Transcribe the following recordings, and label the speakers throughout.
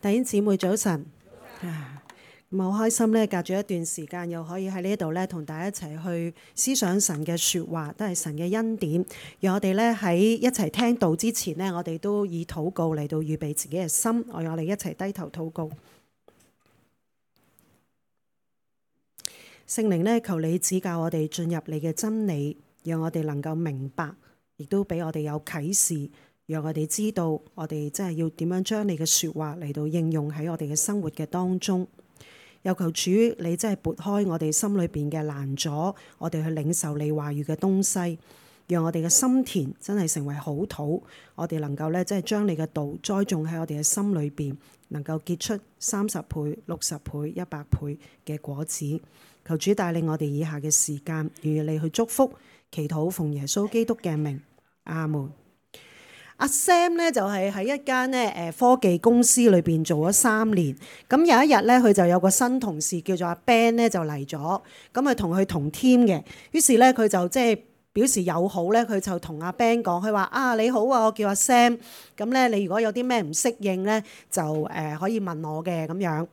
Speaker 1: 弟兄姊妹早晨，咁好開心咧，隔咗一段時間又可以喺呢度咧，同大家一齊去思想神嘅説話，都係神嘅恩典。讓我哋咧喺一齊聽道之前呢，我哋都以禱告嚟到預備自己嘅心，我哋一齊低頭禱告。聖靈呢，求你指教我哋進入你嘅真理，讓我哋能夠明白，亦都俾我哋有啟示。讓我哋知道，我哋真係要點樣將你嘅説話嚟到應用喺我哋嘅生活嘅當中。又求主你真係撥開我哋心裏邊嘅攔阻，我哋去領受你話語嘅東西，讓我哋嘅心田真係成為好土，我哋能夠咧即係將你嘅道栽種喺我哋嘅心裏邊，能夠結出30倍、60倍、100倍嘅果子。求主帶領我哋以下嘅時間，願意你去祝福、祈禱，奉耶穌基督嘅名，阿門。阿 Sam 咧就係喺一間咧科技公司裏邊做咗3年，咁有一日咧佢就有個新同事叫做阿 Ben 咧就嚟咗，咁啊同佢同 team 嘅，於是咧佢就即係表示友好咧，佢就同阿 Ben 講，佢話啊你好啊，我叫阿 Sam，咁咧你如果有啲咩唔適應咧，就可以問我嘅咁樣。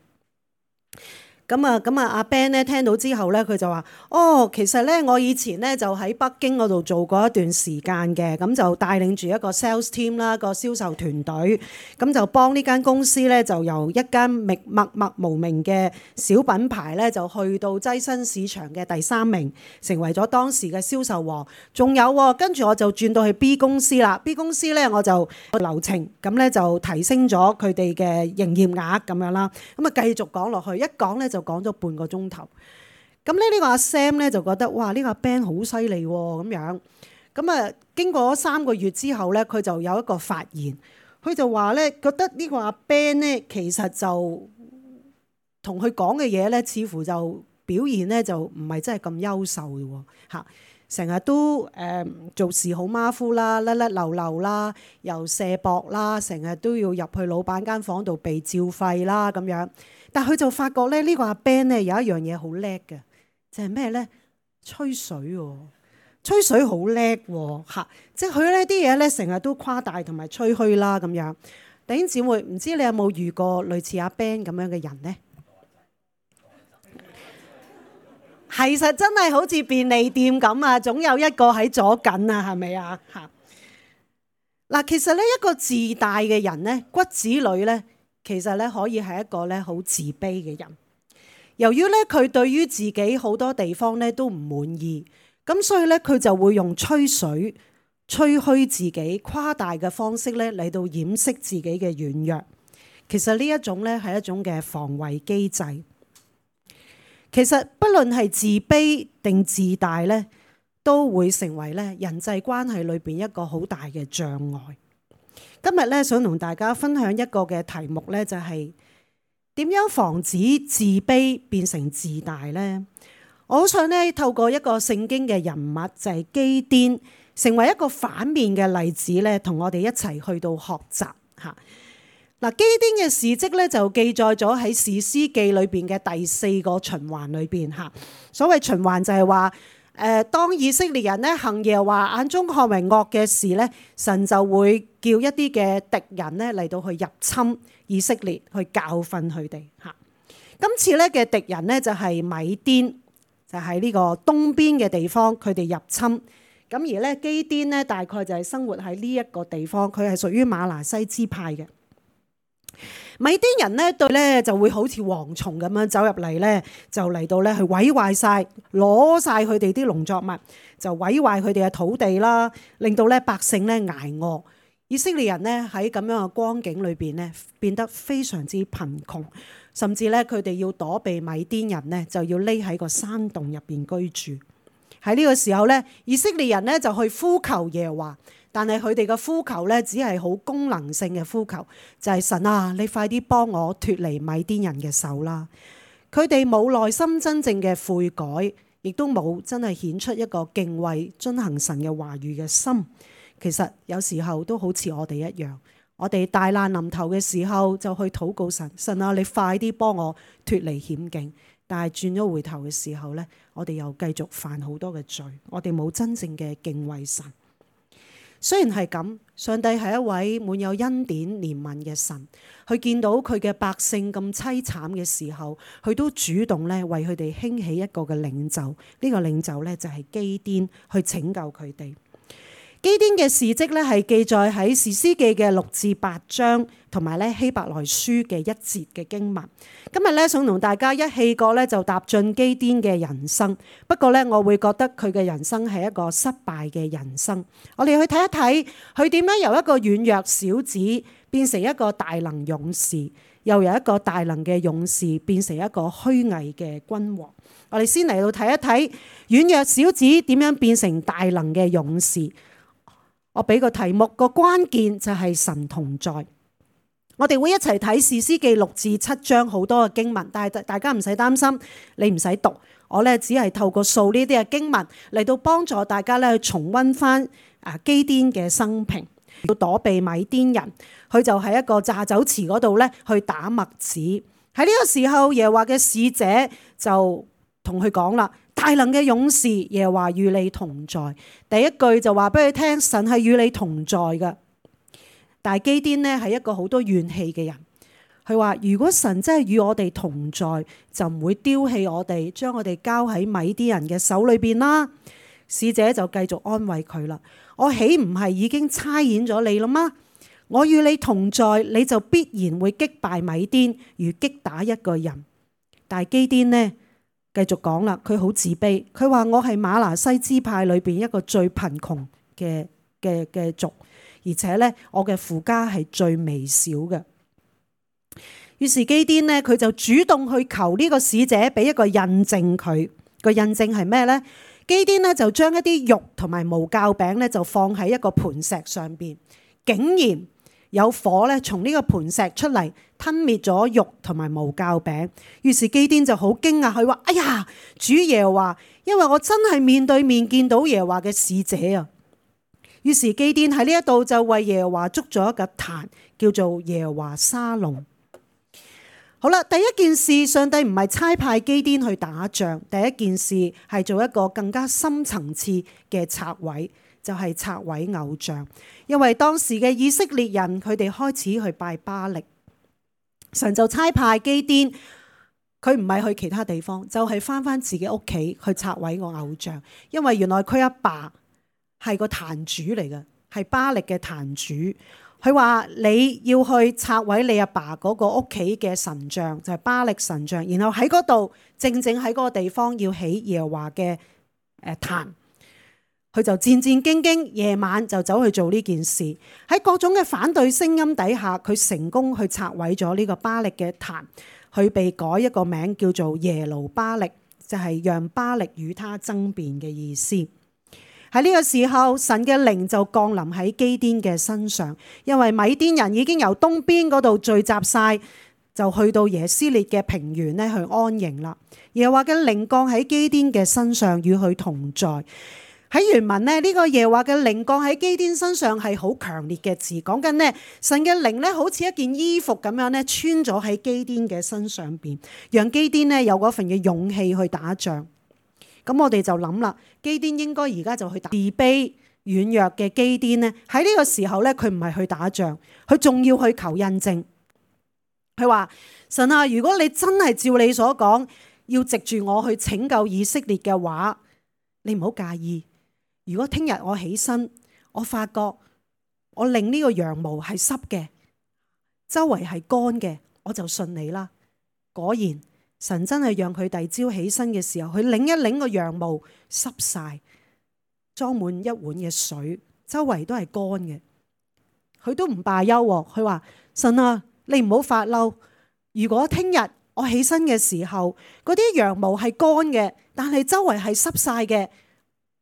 Speaker 1: 咁啊，阿 Ben 咧聽到之後咧，佢就話：哦，其實咧，我以前咧就喺北京嗰度做過一段時間嘅，咁就帶領住一個 sales team 啦，個銷售團隊，咁就幫呢間公司咧，就由一間默默無名嘅小品牌咧，就去到躋身市場嘅第3名，成為咗當時嘅銷售王。仲有喎，跟住我就轉到去 B 公司啦。B 公司咧，我就流程咁咧就提升咗佢哋嘅營業額咁樣啦。咁啊繼續講落去，一講咧就講咗半個鐘頭，咁咧呢個阿 Sam 咧就覺得哇呢個阿 Ben 好犀利喎咁樣，咁啊經過3個月之後咧，佢就有一個發言，佢就話咧覺得呢個阿 Ben 咧其實就同佢講嘅嘢咧，似乎就表現咧就唔係真係咁優秀嘅喎嚇，成日都做事好馬虎啦，甩甩漏漏啦，又卸膊啦，成日都要入去老闆間房度被照肺啦咁樣。但佢就發覺咧，呢個阿 Ben 咧有一樣嘢好叻嘅，就係咩咧？吹水喎，吹水好叻喎嚇！即係佢呢啲嘢咧，成日都誇大同埋吹噓啦咁樣。弟兄姊妹，唔知你有冇遇過類似阿 Ben 咁樣嘅人呢？其實真係好似便利店咁啊，總有一個喺左近啊，係咪啊？嚇！嗱，其實咧一個自大嘅人咧，骨子裏咧。其實咧可以係一個咧好自卑嘅人，由於咧佢對於自己好多地方咧都唔滿意，咁所以咧佢就會用吹水、吹噓自己、誇大嘅方式咧嚟到掩飾自己嘅軟弱。其實呢一種咧係一種嘅防衛機制。其實不論係自卑定自大咧，都會成為咧人際關係裏邊一個好大嘅障礙。今日咧想同大家分享一個嘅題目咧，就係點樣防止自卑變成自大呢？我好想咧透過一個聖經嘅人物，就係基甸，成為一個反面嘅例子咧，同我哋一齊去到學習嚇。嗱，基甸嘅事蹟咧就記載咗喺士師記裏邊嘅第4個循環裏邊嚇。所謂循環就係話，當以色列人咧行耶和華眼中看為惡嘅事咧，神就會叫一啲嘅敵人咧嚟到去入侵以色列，去教訓佢哋嚇。今次咧嘅敵人咧就係米甸，就喺呢個東邊嘅地方，佢哋入侵。咁而咧基甸咧大概就係生活喺呢一個地方，佢係屬於瑪拿西支派嘅。米甸人咧對咧就會好似蝗蟲咁樣走入嚟咧，就嚟到咧去毀壞晒，攞晒佢哋啲農作物，就毀壞佢哋嘅土地啦，令到咧百姓咧捱餓。以色列人咧喺咁樣嘅光景裏邊咧，變得非常之貧窮，甚至咧佢哋要躲避米甸人咧，就要匿喺個山洞入邊居住。喺呢個時候咧，以色列人咧就去呼求耶和華。但係佢哋嘅呼求咧，只係好功能性嘅呼求，就係神啊，你快啲幫我脫離米甸人嘅手啦！佢哋冇內心真正嘅悔改，亦都冇真係顯出一個敬畏、遵行神嘅話語嘅心。其實有時候都好似我哋一樣，我哋大難臨頭嘅時候就去禱告神，神啊，你快啲幫我脫離險境。但係轉咗回頭嘅時候咧，我哋又繼續犯好多嘅罪，我哋冇真正嘅敬畏神。雖然係咁，上帝係一位滿有恩典憐憫嘅神，佢見到佢嘅百姓咁淒慘嘅時候，佢都主動咧為佢哋興起一個嘅領袖。呢個領袖咧就係基甸，去拯救佢哋。基甸嘅事蹟咧係記載喺士師記嘅6至8章，同埋咧希伯來書嘅1節嘅經文。今日咧想同大家一氣過咧就踏進基甸嘅人生。不過咧我會覺得佢嘅人生係一個失敗嘅人生。我哋去睇一睇佢點樣由一個軟弱小子變成一個大能勇士，又由一個大能嘅勇士變成一個虛偽嘅君王。我哋先嚟到睇一睇軟弱小子點樣變成大能嘅勇士。我俾個題目，個關鍵就係神同在。我哋會一齊睇士師記6至7章好多嘅經文，但係大家唔使擔心，你唔使讀。我咧只係透過數呢啲嘅經文嚟到幫助大家咧去重溫翻基甸嘅生平。要躲避米甸人，佢就喺一個榨酒池嗰度咧去打麥子。喺呢個時候，耶和華嘅使者就同佢講啦：大能嘅勇士，耶和華與你同在。第一句就話俾佢聽，神係與你同在嘅。但係基甸呢係一個好多怨氣嘅人，佢話如果神真係與我哋同在，就唔會丟棄我哋，將我哋交喺米甸人嘅手裏邊啦。使者就繼續安慰佢啦：我豈唔係已經差遣咗你啦嗎？我與你同在，你就必然會擊敗米甸，如擊打一個人。但係基甸呢繼續講啦，佢好自卑，佢話我係瑪拿西支派裏邊一個最貧窮嘅族，而且咧我嘅父家係最微小嘅。於是基甸呢，佢就主動去求呢個使者俾一個印證佢。個印證係咩呢？基甸呢就將一啲肉同埋無酵餅咧就放喺一個磐石上邊，竟然有火咧從呢個磐石出嚟吞滅咗肉同埋無酵餅。於是基甸就好驚訝，佢話：哎呀，主耶和華，因為我真係面對面見到耶和華嘅使者啊！於是基甸喺呢一度就為耶和華築咗一個壇，叫做耶和華沙龍。好啦，第一件事，上帝唔係差派基甸去打仗，第一件事係做一個更加深層次嘅拆毀，就係拆毀偶像。因為當時嘅以色列人，佢哋開始去拜巴力，神就差派基甸，佢唔係去其他地方，就係返自己屋企去拆毀個偶像。因為原來佢阿爸係個壇主嚟嘅，係巴力嘅壇主。佢話你要去拆毀你阿爸嗰個屋企嘅神像，就係巴力神像，然後喺嗰度正喺嗰個地方要起耶和華嘅壇。佢就戰戰兢兢，夜晚就走去做呢件事。喺各種嘅反對聲音底下，佢成功去拆毀咗呢個巴力嘅壇。佢被改一個名叫做耶路巴力，就係讓巴力與他爭辯嘅意思。喺呢個時候，神嘅靈就降臨喺基甸嘅身上，因為米甸人已經由東邊嗰度聚集晒，就去到耶斯列嘅平原咧去安營啦。耶和華嘅靈降喺基甸嘅身上，與佢同在。喺原文呢個耶和華嘅靈降喺基甸身上係好強烈嘅字，講緊呢神嘅靈咧好似一件衣服咁樣咧穿咗喺基甸嘅身上邊，讓基甸咧有嗰份嘅勇氣去打仗。咁我哋就諗啦，基甸應該而家就去打。自卑軟弱嘅基甸呢，喺呢個時候咧，佢唔係去打仗，佢仲要去求印證。佢話：神啊，如果你真係照你所講，要藉住我去拯救以色列嘅話，你唔好介意。如果聽日我起身，我發覺我令呢個羊毛係濕嘅，周圍係乾嘅，我就信你啦。果然。神真係讓佢第二朝起身嘅時候，佢擰一擰個羊毛濕晒，裝滿一碗嘅水，周圍都係乾嘅。佢都唔罷休，佢話：神啊，你唔好發嬲。如果聽日我起身嘅時候，嗰啲羊毛係乾嘅，但係周圍係濕晒嘅，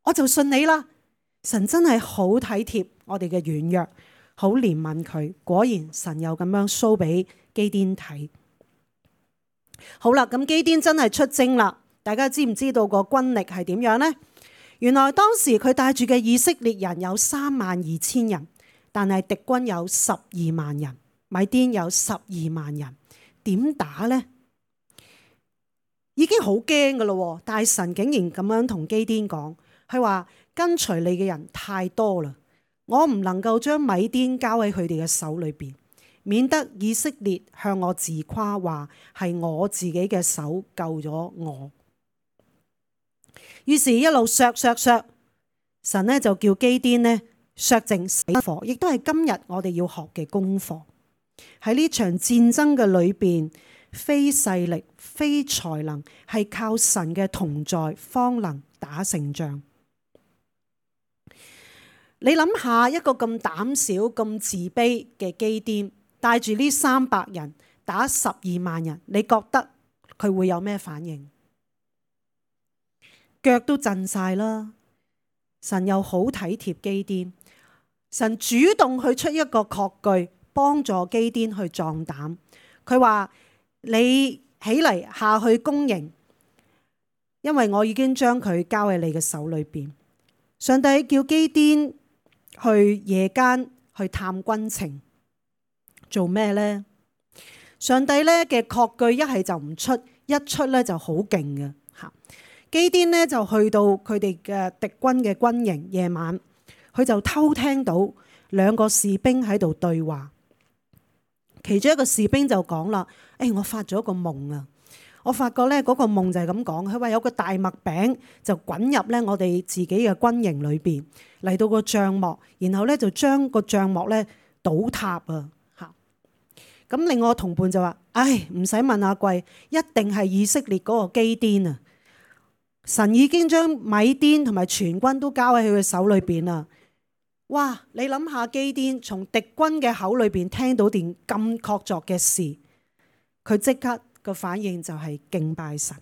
Speaker 1: 我就信你啦。神真係好體貼我哋嘅軟弱，好憐憫佢。果然神又咁樣 show 俾基甸睇。好啦，咁基甸真係出征啦。大家知唔知道個軍力係點樣呢？原來當時佢帶住嘅以色列人有32000人，但係敵軍有12萬人，米甸有12萬人，點打呢？已經好驚噶咯，但係神竟然咁樣同基甸講，佢話跟隨你嘅人太多啦，我唔能夠將米甸交喺佢哋嘅手裏邊，免得以色列向我自誇話係我自己嘅手救咗我。於是一路削，神呢就叫基甸呢削淨死火，亦都係今日我哋要學嘅功課。喺呢場戰爭嘅裏邊，非勢力、非才能，係靠神嘅同在方能打勝仗。你諗下，一個咁膽小、咁自卑嘅基甸，帶住呢300人打12萬人，你覺得佢會有咩反應？腳都震晒啦！神又好體貼基甸，神主動去出一個確據，幫助基甸去壯膽。佢話：你起嚟下去攻營，因為我已經將佢交喺你嘅手裏邊。上帝叫基甸去夜間去探軍情，做咩呢？上帝咧嘅確據一係就唔出，一出咧就好勁嘅吓。基甸呢就去到佢哋嘅敵軍嘅軍營，夜晚佢就偷聽到2個士兵喺度對話。其中一個士兵就講啦：我發咗個夢啊！我發覺咧嗰個夢就係咁講，佢話有個大麥餅就滾入咧我哋自己嘅軍營裏邊，嚟到個帳幕，然後咧就將個帳幕咧倒塌啊！嚇！咁另外同伴就話：唔使問阿貴，一定係以色列嗰個基甸啊！神已經將米甸同埋全軍都交喺佢嘅手裏邊啦。哇！你諗下，基甸從敵軍嘅口裏邊聽到件咁確鑿嘅事，佢即刻個反應就係敬拜神。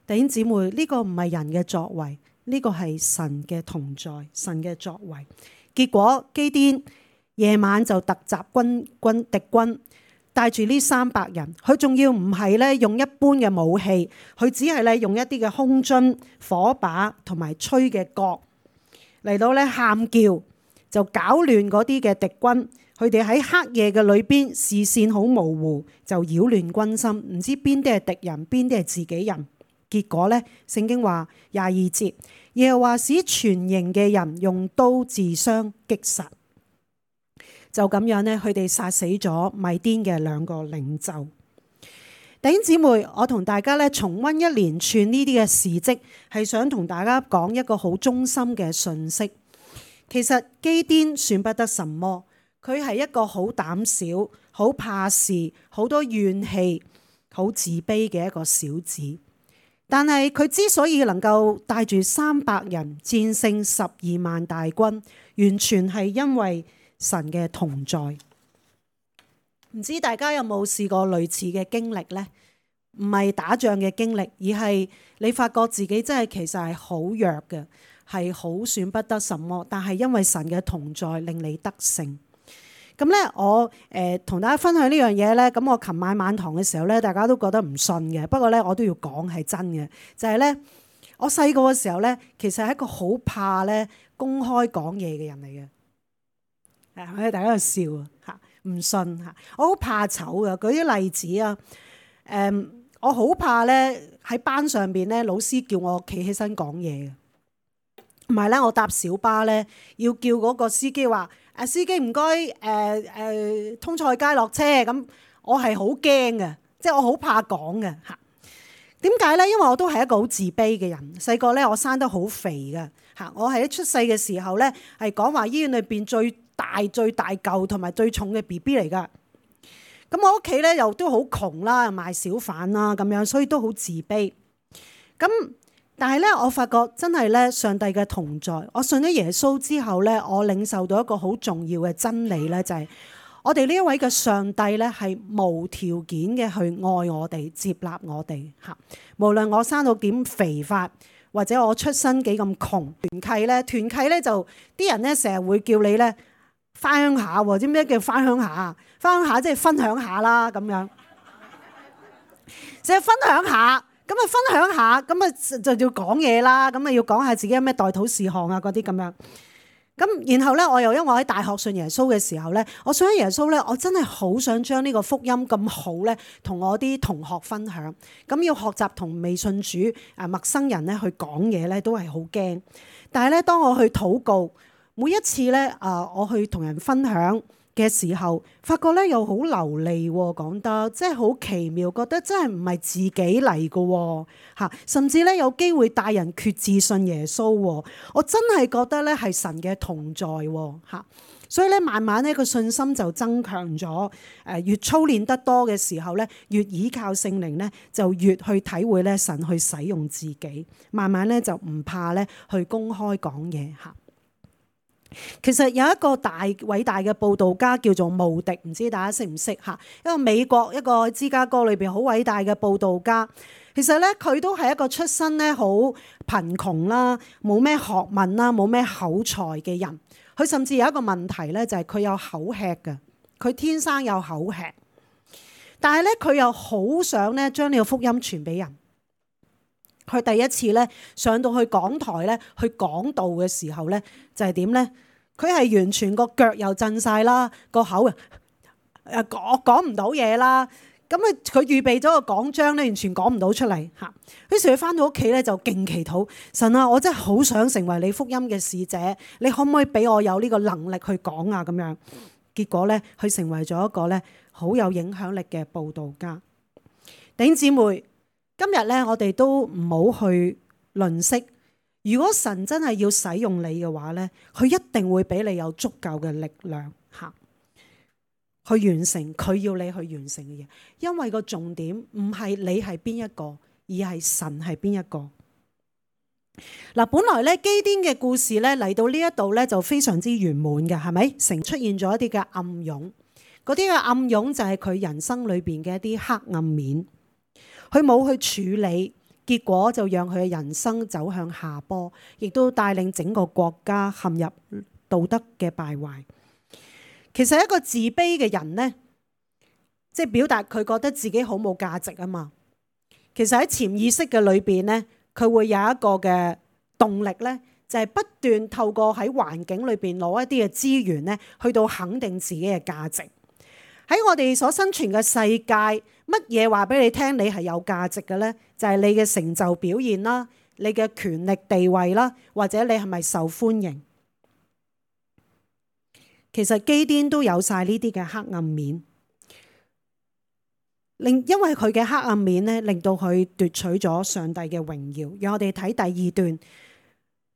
Speaker 1: 弟兄姊妹，呢個唔係人嘅作為，呢個係神嘅同在，神嘅作為。結果基甸夜晚就突襲敵軍。帶住呢300人，佢仲要唔係咧用一般嘅武器，佢只係咧用一啲嘅空樽、火把同埋吹嘅角嚟到咧喊叫，就搞亂嗰啲嘅敵軍。佢哋喺黑夜嘅裏邊，視線好模糊，就擾亂軍心，唔知邊啲係敵人，邊啲係自己人。結果咧，聖經話22節，耶和華使全營嘅人用刀自相擊殺。就咁樣咧，佢哋殺死咗米甸嘅2個領袖。弟兄姊妹，我同大家咧重溫一連串呢啲嘅事蹟，係想同大家講一個好中心嘅訊息。其實基甸算不得什麼，佢係一個好膽小、好怕事、好多怨氣、好自卑嘅一個小子。但係佢之所以能夠帶住300人戰勝12萬大軍，完全係因為神嘅同在。唔知大家有冇試過類似嘅經歷呢？唔係打仗嘅經歷，而係你發覺自己真係其實係好弱嘅，係好算不得什麼，但係因為神嘅同在令你得勝。咁咧，我同大家分享呢樣嘢咧，咁我琴晚晚堂嘅時候咧，大家都覺得唔信嘅，不過咧我都要講係真嘅，就係咧我細個嘅時候咧，其實係一個好怕咧公開講嘢嘅人嚟嘅。大家喺度笑啊嚇，唔信嚇，我好怕醜嘅。舉啲例子啊，我好怕咧喺班上邊咧，老師叫我企起身講嘢嘅，唔係咧我搭小巴咧要叫嗰個司機話：司機唔該，通菜街落車。咁我係好驚嘅，即係我好怕講嘅嚇。點解咧？因為我都係一個好自卑嘅人。細個咧我生得好肥嘅嚇，我係一出世嘅時候咧係講話醫院裏邊最大嚿同埋最重嘅 BB 嚟㗎。咁我屋企咧又都好窮啦，賣小販啦咁樣，所以都好自卑。咁但係咧，我發覺真係咧，上帝嘅同在。我信咗耶穌之後咧，我領受到一個好重要嘅真理咧，就係我哋呢一位嘅上帝咧係無條件嘅去愛我哋、接納我哋嚇。無論我生到點肥法，或者我出身幾咁窮，團契咧就啲人咧成日會叫你咧返鄉下喎，知咩叫返鄉下？返鄉下即係分享下啦，咁樣，即係分享下，咁啊分享下，咁啊就要講嘢啦，咁啊要講下自己有咩代禱事項啊嗰啲咁樣。咁然後咧，我又因為我喺大學信耶穌嘅時候咧，我信咗耶穌咧，我真係好想將呢個福音咁好咧，同我啲同學分享。咁要學習同未信主陌生人咧去講嘢咧，都係好驚。但係咧，當我去禱告，每一次咧我去同人分享嘅時候，發覺咧又好流利喎，講得即係好奇妙，覺得真係唔係自己嚟嘅嚇，甚至咧有機會帶人決志信耶穌喎，我真係覺得咧係神嘅同在嚇，所以咧慢慢咧個信心就增強咗，越操練得多嘅時候咧，越倚靠聖靈咧，就越去體會咧神去使用自己，慢慢咧就唔怕咧去公開講嘢嚇。其實有一個偉大嘅佈道家叫做慕迪，唔知大家識唔識嚇？一個美國一個芝加哥裏邊好偉大嘅佈道家。其實咧佢都係一個出身咧好貧窮啦，冇咩學問啦，冇咩口才嘅人。佢甚至有一個問題咧，就係佢有口吃嘅，佢天生有口吃。但係咧佢又好想咧將呢個福音傳俾人。佢第一次咧上到去講台咧去講道嘅時候咧，就係點咧？佢係完全個腳又震晒啦，個口講唔到嘢啦。咁佢預備咗個講章咧，完全講唔到出嚟嚇。於是佢翻到屋企咧就勁祈禱，神啊，我真係好想成為你福音嘅使者，你可唔可以俾我有呢個能力去講啊？咁樣結果咧，佢成為咗一個咧好有影響力嘅佈道家。弟兄姊妹，今日咧，我哋都唔好去吝嗇。如果神真係要使用你嘅話咧，佢一定會俾你有足夠嘅力量嚇，去完成佢要你去完成嘅嘢。因為個重點唔係你係邊一個，而係神係邊一個。嗱，本來咧基甸嘅故事咧嚟到呢一度咧就非常之圓滿嘅，係咪？成出現咗一啲嘅暗湧，嗰啲嘅暗湧就係佢人生裏邊嘅一啲黑暗面。佢冇去處理，結果就讓佢嘅人生走向下坡，亦都帶領整個國家陷入道德嘅敗壞。其實一個自卑嘅人呢，即係表達佢覺得自己好冇價值啊嘛。其實喺潛意識嘅裏邊呢，佢會有一個嘅動力呢，就係不斷透過喺環境裏邊攞一啲嘅資源呢，去到肯定自己嘅價值。喺我哋所生存嘅世界，乜嘢話俾你聽你係有價值嘅呢？就係你嘅成就表現啦，你嘅權力地位啦，或者你係咪受歡迎？其實基甸都有晒呢啲嘅黑暗面，因為佢嘅黑暗面咧，令到佢奪取咗上帝嘅榮耀。讓我哋睇第二段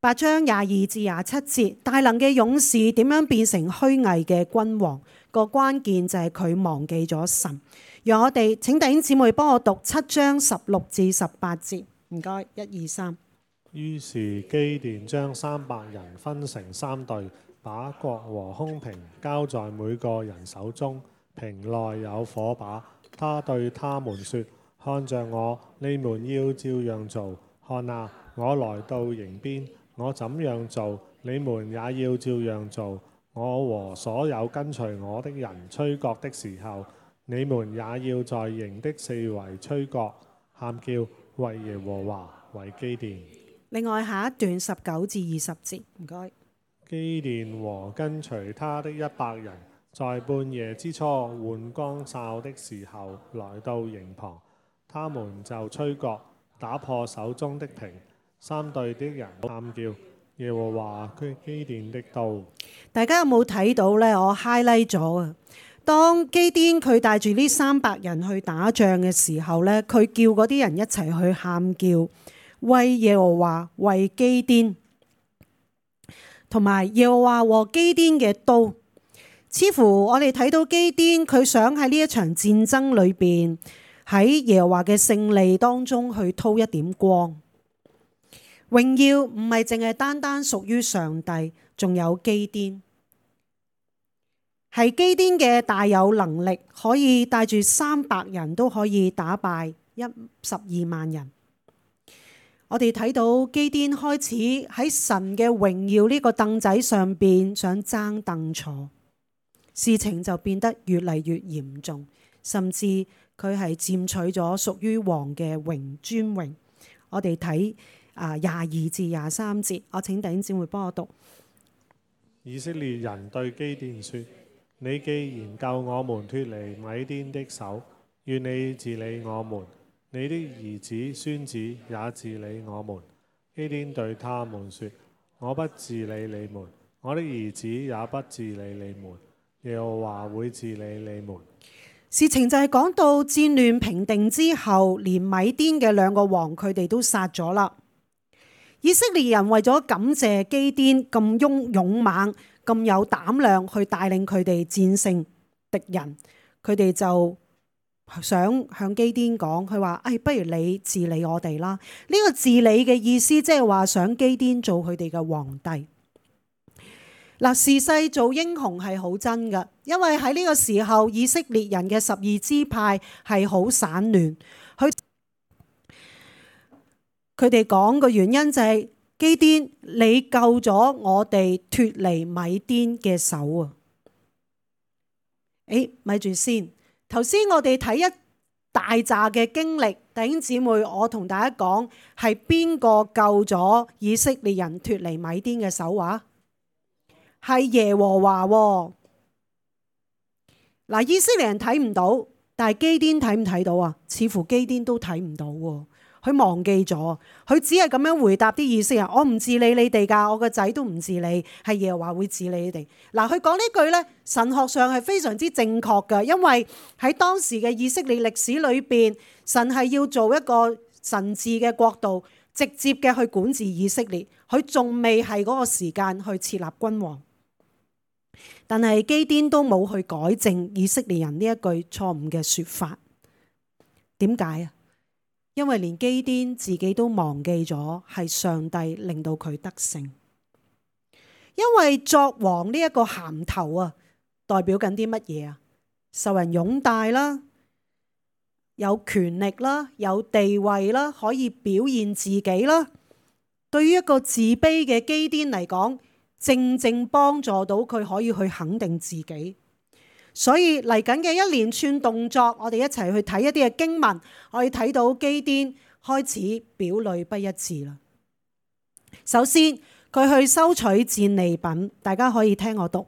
Speaker 1: 8章22至27節，大能嘅勇士點樣變成虛偽嘅君王？個關鍵就係佢忘記咗神。讓我哋請弟兄姊妹幫我讀7章16至18節，唔該，1、2、3。
Speaker 2: 於是基甸將300人分成3隊，把角和空瓶交在每個人手中，瓶內有火把。他對他們說：看着我，你們要照樣做。看啊，我來到營邊，我怎樣做，你們也要照樣做。我和所有跟隨我的人吹角的時候，你們也要在營的四圍吹角，喊叫，為耶和華，為基甸。
Speaker 1: 另外下一段19至20節，唔該。
Speaker 2: 基甸和跟隨他的100人，在半夜之初換光哨的時候，來到營旁，他們就吹角，打破手中的瓶。3隊的人喊叫，耶和華佢基甸的刀。
Speaker 1: 大家有冇睇到呢？我 highlight 咗啊！當基甸佢帶住呢300人去打仗嘅時候呢，佢叫嗰啲人一齊去喊叫，為耶和華，為基甸，同埋耶和華和基甸嘅刀。似乎我哋睇到基甸佢想喺呢一場戰爭裏邊，喺耶和華嘅勝利當中去叨一點光。榮耀唔係淨係單單屬於上帝，仲有基甸。係基甸嘅大有能力，可以帶住300人都可以打敗12萬人。我哋睇到基甸開始喺神嘅榮耀呢個凳仔上邊想爭凳坐，事情就變得越嚟越嚴重，甚至佢係佔取咗屬於王嘅尊榮。我哋睇22至23節，我請弟兄姊妹幫我讀。
Speaker 2: 以色列人對基甸說：你既然救我們脫離米甸的手，願你治理我們，你的兒子孫子也治理我們。基甸對他們說：我不治理你們，我的兒子也不治理你們，耶和華會治理你們。
Speaker 1: 事情就係講到戰亂平定之後，連米甸嘅兩個王佢哋都殺咗啦。以色列人為咗感謝基甸咁勇猛、咁有膽量去帶領佢哋戰勝敵人，佢哋就想向基甸講，佢話：不如你治理我哋啦。呢個治理嘅意思即係話想基甸做佢哋嘅皇帝。嗱，時勢做英雄係好真㗎，因為喺呢個時候以色列人嘅12支派係好散亂。佢哋講個原因就係基甸，你救咗我哋脫離米甸嘅手啊！咪住先，頭先我哋睇一大扎嘅經歷，弟兄姊妹，我同大家講係邊個救咗以色列人脫離米甸嘅手啊？係耶和華喎。嗱，以色列人睇唔到，但係基甸睇唔睇到啊？似乎基甸都睇唔到喎。佢忘記咗，佢只係咁樣回答啲以色列人：我唔治理你哋㗎，我個仔都唔治理，係耶和華會治理你哋。嗱，佢講呢句呢，神學上係非常之正確㗎，因為喺當時嘅以色列歷史裏邊，神係要做一個神治嘅國度，直接嘅去管治以色列，佢仲未係嗰個時間去設立君王。但係基甸都冇去改正以色列人呢一句錯誤嘅説法。點解啊？因為連基甸自己都忘記咗係上帝令到佢得勝。因為作王呢一個銜頭啊，代表緊啲乜嘢啊？受人擁戴啦，有權力啦，有地位啦，可以表現自己啦。對於一個自卑嘅基甸嚟講，正正幫助到佢可以去肯定自己。所以嚟緊嘅一連串動作，我哋一齊去睇一啲嘅經文，可以睇到基甸開始表裏不一致啦。首先，佢去收取戰利品，大家可以聽我讀。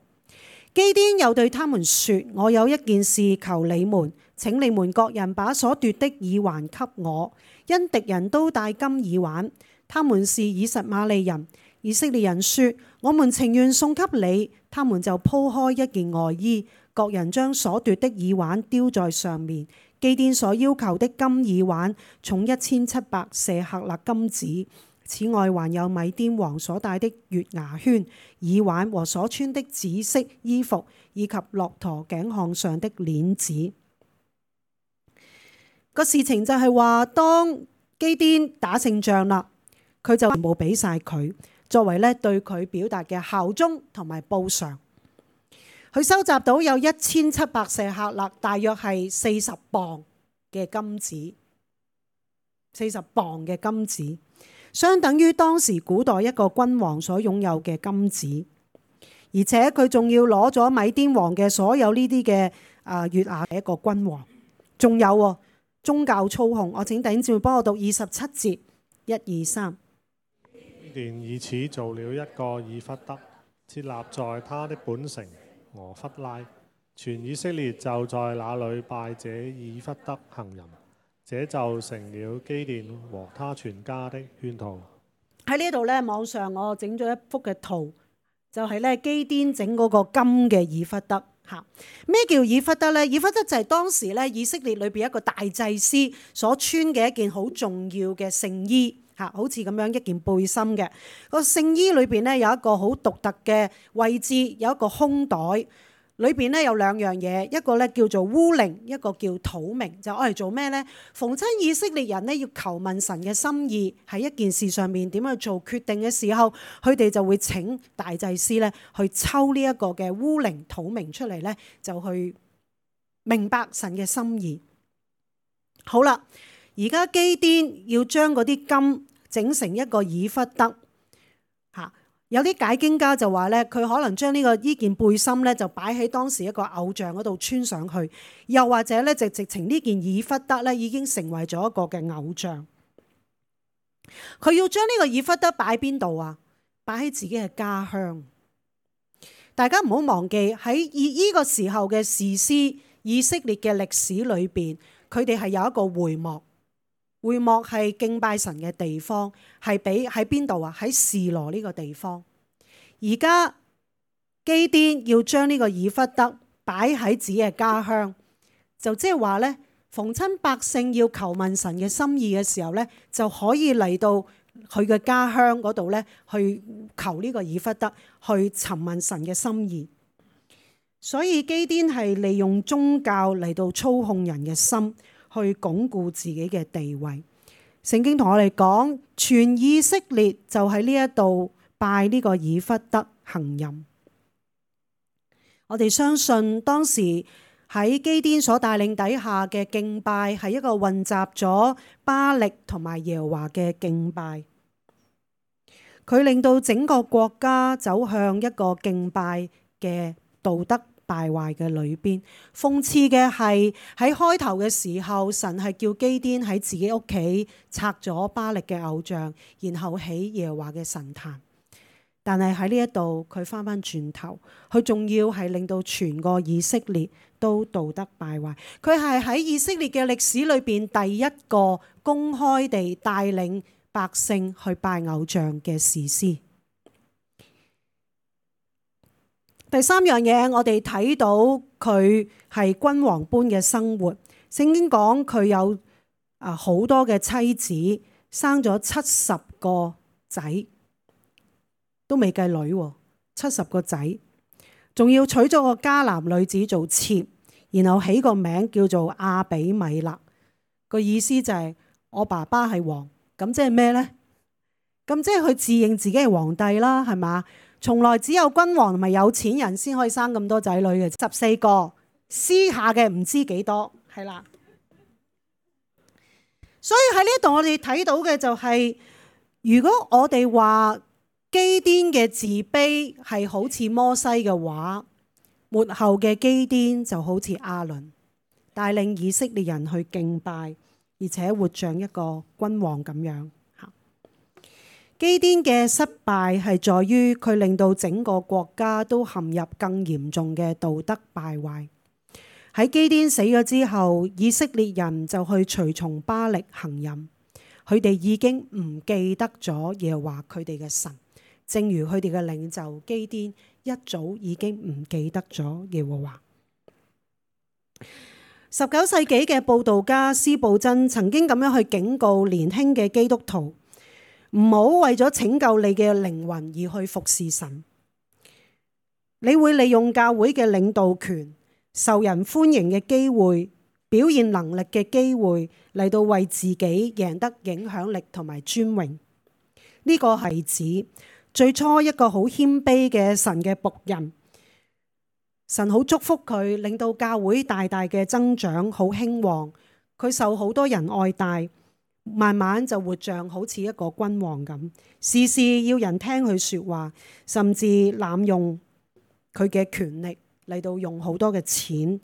Speaker 1: 基甸又對他們說：我有一件事求你們，請你們各人把所奪的耳環給我，因敵人都戴金耳環，他們是以實瑪利人。以色列人說：我們情願送給你。他們就鋪開一件外衣，各人將所奪的耳環丟在上面。基甸所要求的金耳環重1700舍客勒金子，此外還有米甸王所戴的月牙圈、耳環和所穿的紫色衣服，以及駱駝頸項上的鏈子。個事情就係話，當基甸打勝仗啦，佢就全部俾晒佢，作為咧對佢表達嘅效忠同埋報償。佢收集到有1700舍客勒，大約係40磅嘅金子，40磅嘅金子，相等於當時古代一個君王所擁有嘅金子。而且佢仲要攞咗米甸王嘅所有呢啲嘅月牙嘅一個君王。仲有宗教操控，我請弟兄姊妹幫我讀27節，1、2、3。
Speaker 2: 基甸以此做了一個以弗得，設立在他的本城俄弗拉，全以色列就在那裏拜這以弗得行淫，這就成了基甸和他全家的圈套。
Speaker 1: 喺呢度咧，網上我整咗一幅嘅圖，就係咧基甸整嗰個金嘅以弗得嚇。咩叫以弗得咧？以弗得就係當時咧以色列裏邊一個大祭司所穿嘅一件好重要嘅聖衣嚇，好似咁樣一件背心嘅。個聖衣裏邊咧有一個好獨特嘅位置，有一個胸袋。裏邊咧有兩樣嘢，一個咧叫做烏靈，一個叫土明，就愛嚟做咩呢？逢親以色列人咧要求問神嘅心意，喺一件事上面點樣做決定嘅時候，佢哋就會請大祭司咧去抽呢一個嘅烏靈土明出嚟咧，就去明白神嘅心意。好啦，而家基甸要將嗰啲金整成一個以弗得嚇。有啲解經家就話咧，佢可能將呢件背心咧就擺喺當時一個偶像嗰度穿上去，又或者咧就直情呢件以弗得咧已經成為咗一個嘅偶像。佢要將呢個以弗得擺邊度啊？擺喺自己嘅家鄉。大家唔好忘記喺呢個時候嘅士師以色列嘅歷史裏邊，佢哋係有一個會幕。會幕係敬拜神嘅地方，係喺邊度啊？喺示羅呢個地方。而家基甸要將呢個以弗得擺喺自己嘅家鄉，就即係話呢，逢親百姓要求問神嘅心意嘅時候呢，就可以嚟到佢嘅家鄉嗰度呢，去求呢個以弗得，去尋問神嘅心意。所以基甸係利用宗教嚟到操控人嘅心，去鞏固自己嘅地位。聖經同我哋講，全以色列就喺呢一度拜呢個以弗得行淫。我哋相信當時喺基甸所帶領底下嘅敬拜係一個混雜咗巴力同埋耶和華嘅敬拜，佢令到整個國家走向一個敬拜嘅道德敗壞嘅裏邊。諷刺嘅係喺開頭嘅時候，神係叫基甸喺自己屋企拆咗巴力嘅偶像，然後起耶和華嘅神壇。但係喺呢一度，佢翻返轉頭，佢仲要係令到全個以色列都道德敗壞。佢係喺以色列嘅歷史裏邊第一個公開地帶領百姓去拜偶像嘅士師。第三樣嘢，我哋睇到佢係君王般嘅生活。聖經講佢有好多嘅妻子，生咗70個仔。都未計女，70個仔，仲要娶咗個迦南女子做妾，然後起個名叫做亞比米勒，個意思就係我爸爸係王，咁即係咩呢？咁即係佢自認自己係皇帝啦，係嘛？從來只有君王同埋有錢人先可以生咁多仔女嘅，14個，私下嘅唔知幾多，係啦。所以喺呢度我哋睇到嘅就係，如果我哋話基甸嘅自卑係好似摩西嘅話，末後嘅基甸就好似亞倫，帶領以色列人去敬拜，而且活像一個君王咁樣。基甸嘅失敗係在於佢令到整個國家都陷入更嚴重嘅道德敗壞。喺基甸死咗之後，以色列人就去隨從巴力行淫，佢哋已經唔記得咗耶和華佢哋嘅神。正如佢哋嘅領袖基甸一早已經唔記得咗耶和華。19世紀嘅佈道家司布真曾經咁樣去警告年輕嘅基督徒，唔好為咗拯救你嘅靈魂而去服侍神。你會利用教會嘅領導權、受人歡迎嘅機會、表現能力嘅機會嚟到為自己贏得影響力同埋尊榮。呢個係指最初一個好謙卑嘅神嘅僕人，神好祝福佢，令到教會大大嘅增長，好興旺。佢受好多人愛戴，慢慢就活像好似一個君王咁，事事要人聽佢說話，甚至濫用佢嘅權力嚟到用好多嘅錢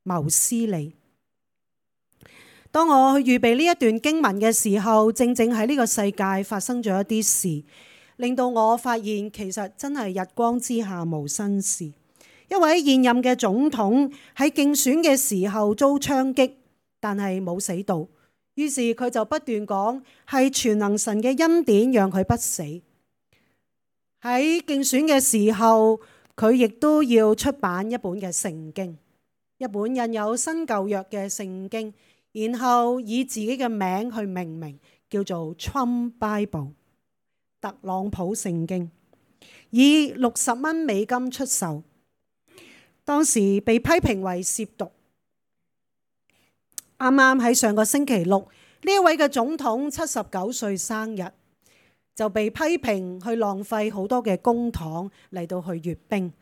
Speaker 1: 謀私利。當我去預備呢一段經文嘅時候，正正喺呢個世界發生咗一啲事，令到我發現其實真係日光之下無新事。一位現任嘅總統喺競選嘅時候遭槍擊，但係冇死到，於是佢就不斷講係全能神嘅恩典讓佢不死。喺競選嘅時候，佢亦都要出版一本嘅聖經，一本印有新舊約嘅聖經，然後以自己嘅名去命名，叫做 Trump Bible。特朗普聖經以60蚊美金出售，當時被批評為褻瀆。啱啱喺上個星期六，呢一位嘅總統79歲生日，就被批評去浪費好多嘅公帑嚟到去閱兵。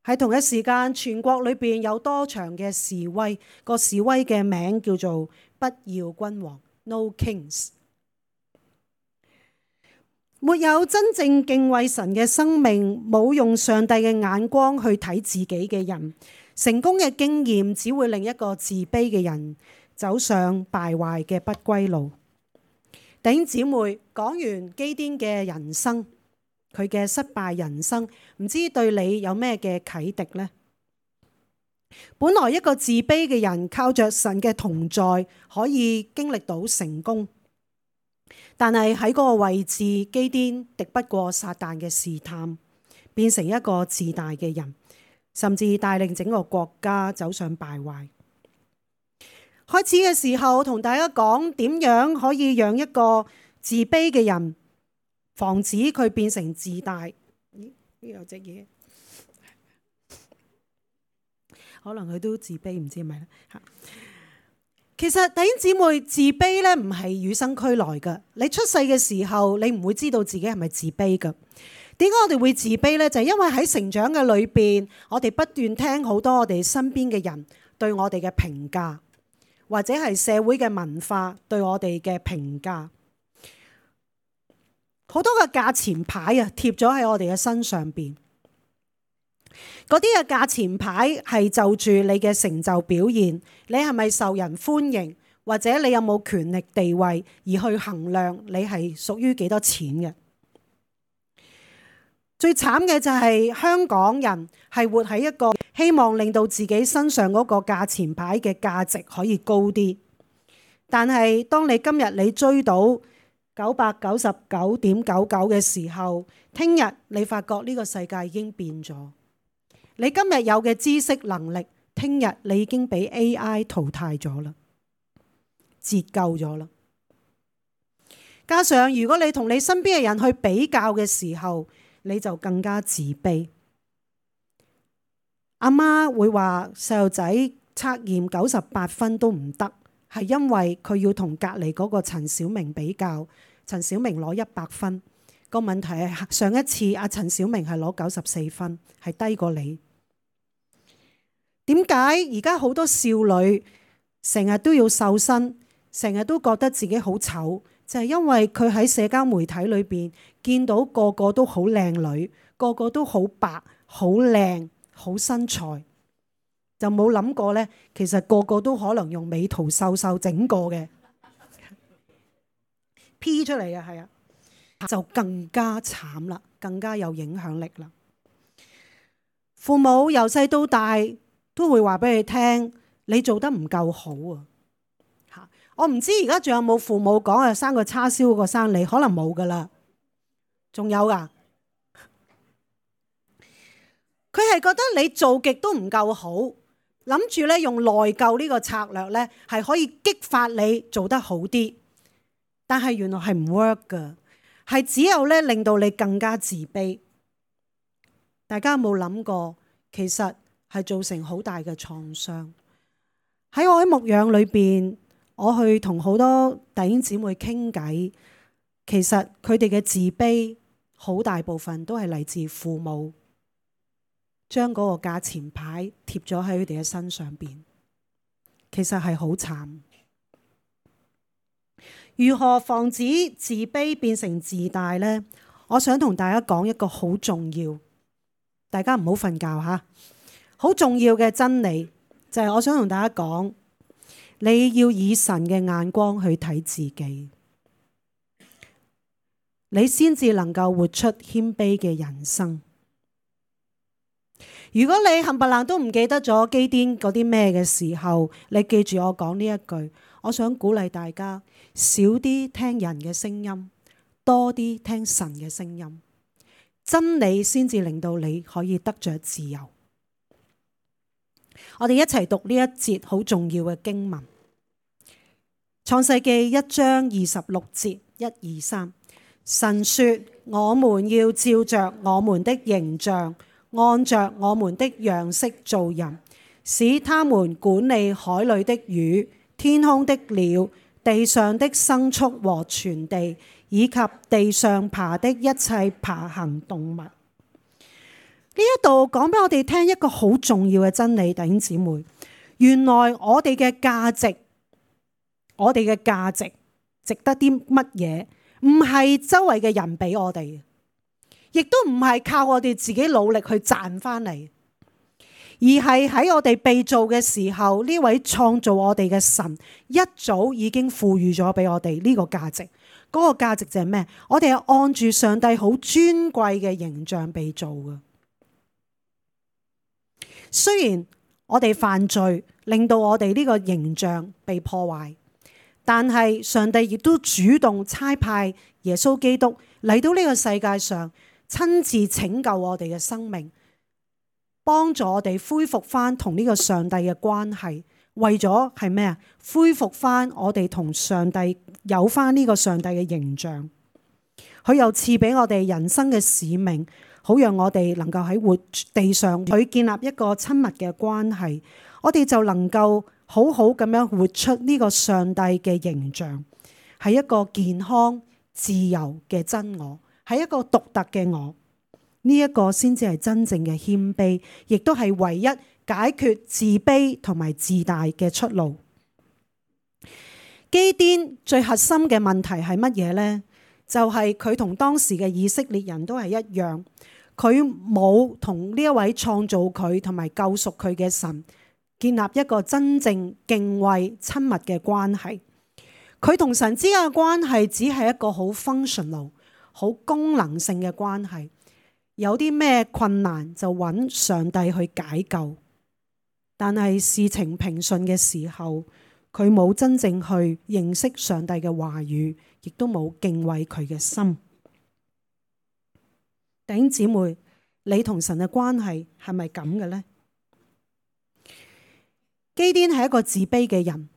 Speaker 1: 喺同一時間，全國裏邊有多場嘅示威，個示威嘅名叫做不要君王 No Kings。沒有真正敬畏神嘅生命，冇用上帝嘅眼光去睇自己嘅人，成功嘅經驗只會令一個自卑嘅人走上敗壞嘅不歸路。弟兄姊妹，講完基甸嘅人生，佢嘅失敗人生，唔知對你有咩嘅啟迪呢？本來一個自卑嘅人靠着神嘅同在，可以經歷到成功，但係喺嗰個位置，基甸敵不過撒旦嘅試探，變成一個自大嘅人，甚至帶領整個國家走上敗壞。開始嘅時候同大家講點樣可以讓一個自卑嘅人防止佢變成自大。咦？呢有隻嘢，可能佢都自卑，唔知係咪咧？其實弟兄姊妹，自卑咧唔係與生俱來嘅。你出世嘅時候，你唔會知道自己係咪自卑嘅。點解我哋會自卑呢？就係因為喺成長嘅裏邊，我哋不斷聽好多我哋身邊嘅人對我哋嘅評價，或者係社會嘅文化對我哋嘅評價，好多嘅價錢牌啊貼咗喺我哋嘅身上邊。嗰啲嘅價錢牌係就住你嘅成就表現，你係咪受人歡迎，或者你有冇權力地位而去衡量你係屬於幾多錢嘅。最慘嘅就係香港人係活喺一個希望令到自己身上嗰個價錢牌嘅價值可以高啲，但係當你今日你追到999.99嘅時候，聽日你發覺呢個世界已經變咗。你今日有嘅知識能力，聽日你已經俾 AI 淘汰咗啦，折舊咗啦。加上如果你同你身邊嘅人去比較嘅時候，你就更加自卑。阿媽會話細路仔測驗98分都唔得，係因為佢要同隔離嗰個陳小明比較，陳小明攞100分。個問題係上一次阿陳小明係攞94分，係低過你。點解而家好多少女成日都要瘦身，成日都覺得自己好醜？就係因為佢喺社交媒體裏邊見到個個都好靚女，個個都好白、好靚、好身材，就冇諗過呢，其實個個都可能用美圖秀秀整過嘅 P 出嚟嘅，係啊，就更加慘啦，更加有影響力啦。父母由細到大都會話俾你聽，你做得唔夠好啊！我唔知而家仲有冇父母講啊，生個叉燒個生你，可能冇噶啦，仲有噶。佢係覺得你做極都唔夠好，諗住咧用內疚呢個策略咧，係可以激發你做得好啲。但係原來係唔 work 噶，係只有咧令到你更加自卑。大家有冇諗過，其實係造成好大嘅創傷。喺我喺牧養裏邊，我去同好多弟兄姊妹傾偈，其實佢哋嘅自卑好大部分都係嚟自父母將嗰個價錢牌貼咗喺佢哋嘅身上邊，其實係好慘。如何防止自卑變成自大呢？我想同大家講一個好重要，大家唔好瞓覺吓，好重要嘅真理就係我想同大家講，你要以神嘅眼光去睇自己，你先至能夠活出謙卑嘅人生。如果你冚唪唥都唔記得咗基甸嗰啲咩嘅時候，你記住我講呢一句，我想鼓勵大家少啲聽人嘅聲音，多啲聽神嘅聲音，真理先至令到你可以得着自由。我哋一齊讀呢一節好重要嘅經文，創世記1章26節1、2、3。神說：我們要照着我們的形象，按着我們的樣式造人，使他們管理海裏的魚、天空的鳥、地上的牲畜和全地，以及地上爬的一切爬行動物。呢一度講俾我哋聽一個好重要嘅真理，弟兄姊妹，原來我哋嘅價值，值得啲乜嘢？唔係周圍嘅人俾我哋，亦都唔係靠我哋自己努力去賺翻嚟，而係喺我哋被造嘅時候，呢位創造我哋嘅神一早已經賦予咗俾我哋呢個價值。嗰個價值就係咩？我哋係按住上帝好尊貴嘅形象被造嘅。雖然我哋犯罪，令到我哋呢個形象被破壞，但係上帝亦都主動差派耶穌基督嚟到呢個世界上，親自拯救我哋嘅生命，幫助我哋恢復翻同呢個上帝嘅關係。為咗係咩啊？恢復翻我哋同上帝有翻呢個上帝嘅形象。佢又賜俾我哋人生嘅使命，好讓我哋能夠喺活地上佢建立一個親密嘅關係，我哋就能夠好好咁樣活出呢個上帝嘅形象，係一個健康自由嘅真我，係一個獨特嘅我。呢一個先至係真正嘅謙卑，亦都係唯一解決自卑同埋自大嘅出路。基甸最核心嘅問題係乜嘢呢？就係佢同當時嘅以色列人都係一樣，佢冇同呢一位創造佢同埋救贖佢嘅神建立一個真正敬畏親密嘅關係。佢同神之間嘅關係只係一個好 functional、好功能性嘅關係。有啲咩困難就揾上帝去解救，但係事情平順嘅時候，佢冇真正去認識上帝嘅話語，亦都冇敬畏佢嘅心。弟兄姊妹，你同神嘅關係係咪咁嘅呢？基甸係一個自卑嘅人，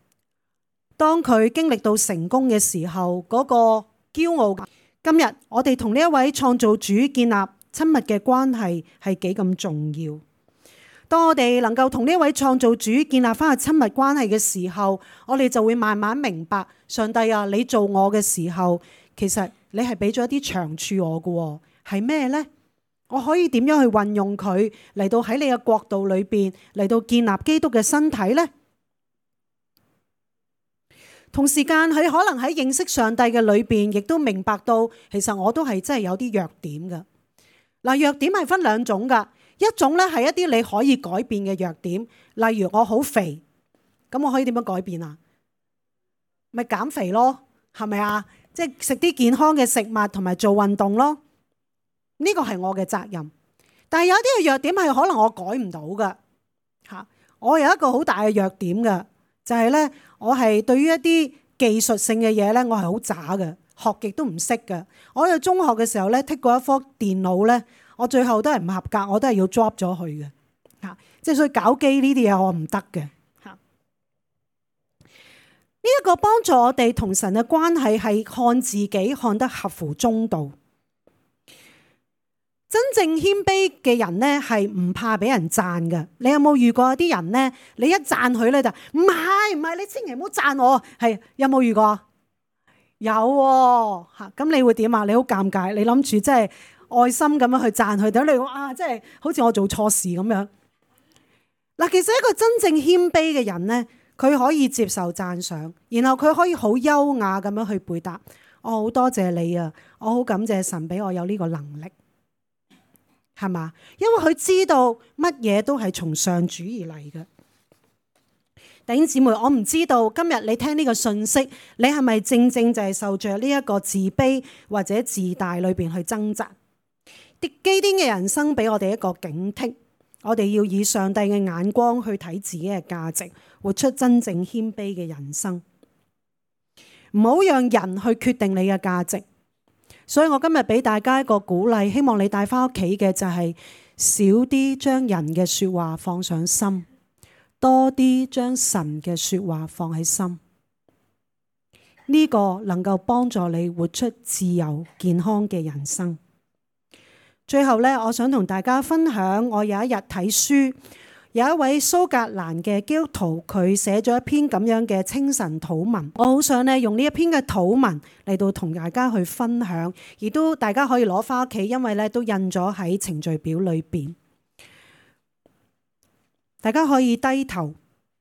Speaker 1: 當佢經歷到成功嘅時候，嗰個驕傲。今日我哋同呢一位創造主建立親密嘅關係係幾咁重要。當我哋能夠同呢位創造主建立翻個親密關係嘅時候，我哋就會慢慢明白，上帝啊，你做我嘅時候，其實你係俾咗一啲長處我嘅，係咩呢？我可以點樣去運用佢嚟到喺你嘅國度裏邊嚟到建立基督嘅身體呢？同時間佢可能喺認識上帝嘅裏邊，亦都明白到其實我都係真係有啲弱點嘅。嗱，弱點係分兩種噶。一種咧係一啲你可以改變嘅弱點，例如我好肥，咁我可以點樣改變啊？咪減肥咯，係咪啊？即係食啲健康嘅食物同埋做運動咯。呢個係我嘅責任。但係有啲嘅弱點係可能我改唔到噶嚇。我有一個好大嘅弱點嘅，就係咧我係對於一啲技術性嘅嘢咧，我係好渣嘅，學極都唔識嘅。我喺中學嘅時候咧，剔過一科電腦咧。我最後都係唔合格，我都係要 drop 咗佢嘅嚇，即係所以搞機呢啲嘢我唔得嘅嚇。呢一個幫助我哋同神嘅關係係看自己看得合乎中道。真正謙卑嘅人呢係唔怕俾人讚嘅。你有冇遇過有啲人呢？你一讚佢咧就唔係，你千祈唔好讚我。係有冇遇過？有喎嚇，咁你會點啊？你好尷尬，你諗住即係愛心咁樣去讚佢，等你講啊，即係好似我做錯事咁樣。嗱，其實一個真正謙卑嘅人呢，佢可以接受讚賞，然後佢可以好優雅咁樣去回答。我好多謝你啊，我好感謝神俾我有呢個能力，係嘛？因為佢知道乜嘢都係從上主而嚟嘅。弟兄姊妹，我唔知道今日你聽呢個信息，你係咪正正就係受着呢一個自卑或者自大裏邊去掙扎？基甸嘅人生俾我哋一個警惕，我哋要以上帝嘅眼光去睇自己嘅價值，活出真正謙卑嘅人生，唔好讓人去決定你嘅價值。所以我今日俾大家一個鼓勵，希望你帶翻屋企嘅就係少啲將人嘅說話放上心，多啲將神嘅說話放喺心。呢個能夠幫助你活出自由健康嘅人生。最後咧，我想同大家分享，我有一日睇書，有一位蘇格蘭嘅基督徒，佢寫咗一篇咁樣嘅清晨禱文。我好想咧用呢一篇嘅禱文嚟到同大家去分享，亦都大家可以攞翻屋企，因為咧都印咗喺程序表裏邊。大家可以低頭，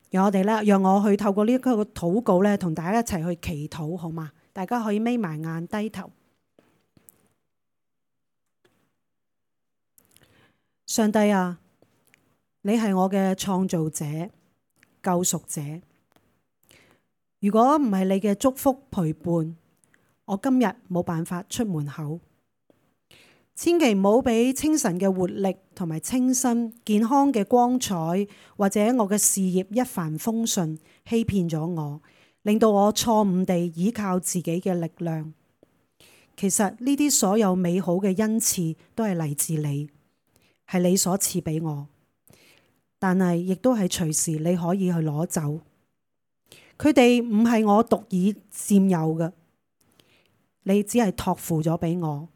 Speaker 1: 讓我去透過呢一個禱告咧，同大家一齊去祈禱，好嗎？大家可以眯埋眼，低頭。上帝啊，你係我嘅創造者、救贖者。如果唔係你嘅祝福陪伴，我今日冇辦法出門口。千祈唔好俾清晨嘅活力同埋清新、健康嘅光彩，或者我嘅事業一帆風順，欺騙咗我。令到我錯誤地依靠自己嘅力量。其實呢啲所有美好嘅恩賜都係嚟自你，係你所賜俾我，但係亦都係隨時你可以去攞走。佢哋唔係我獨已佔有嘅，你只係託付咗俾我。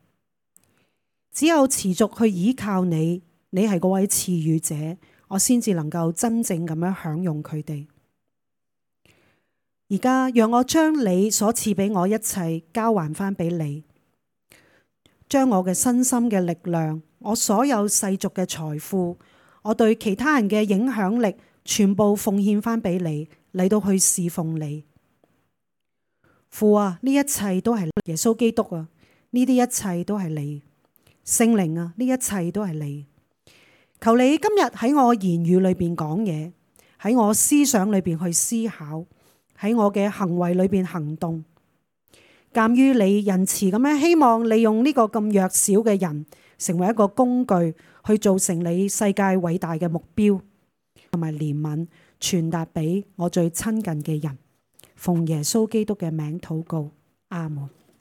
Speaker 1: 只有持續去依靠你，你係嗰位賜予者，我先至能夠真正咁樣享用佢哋。而家讓我將你所賜俾我一切交還翻俾你，將我嘅身心嘅力量，我所有世俗嘅財富，我對其他人嘅影響力，全部奉獻翻俾你，嚟到去侍奉你。父啊，呢一切都係耶穌基督啊，呢啲一切都係你。聖靈啊，呢一切都係你。求你今日喺我言語裏邊講嘢，喺我思想裏邊去思考，喺我嘅行為裏邊行動。鑒於你仁慈咁樣，希望利用呢個咁弱小嘅人，成為一個工具，去做成你世界偉大嘅目標，同埋憐憫傳達俾我最親近嘅人。奉耶穌基督嘅名禱告，阿門。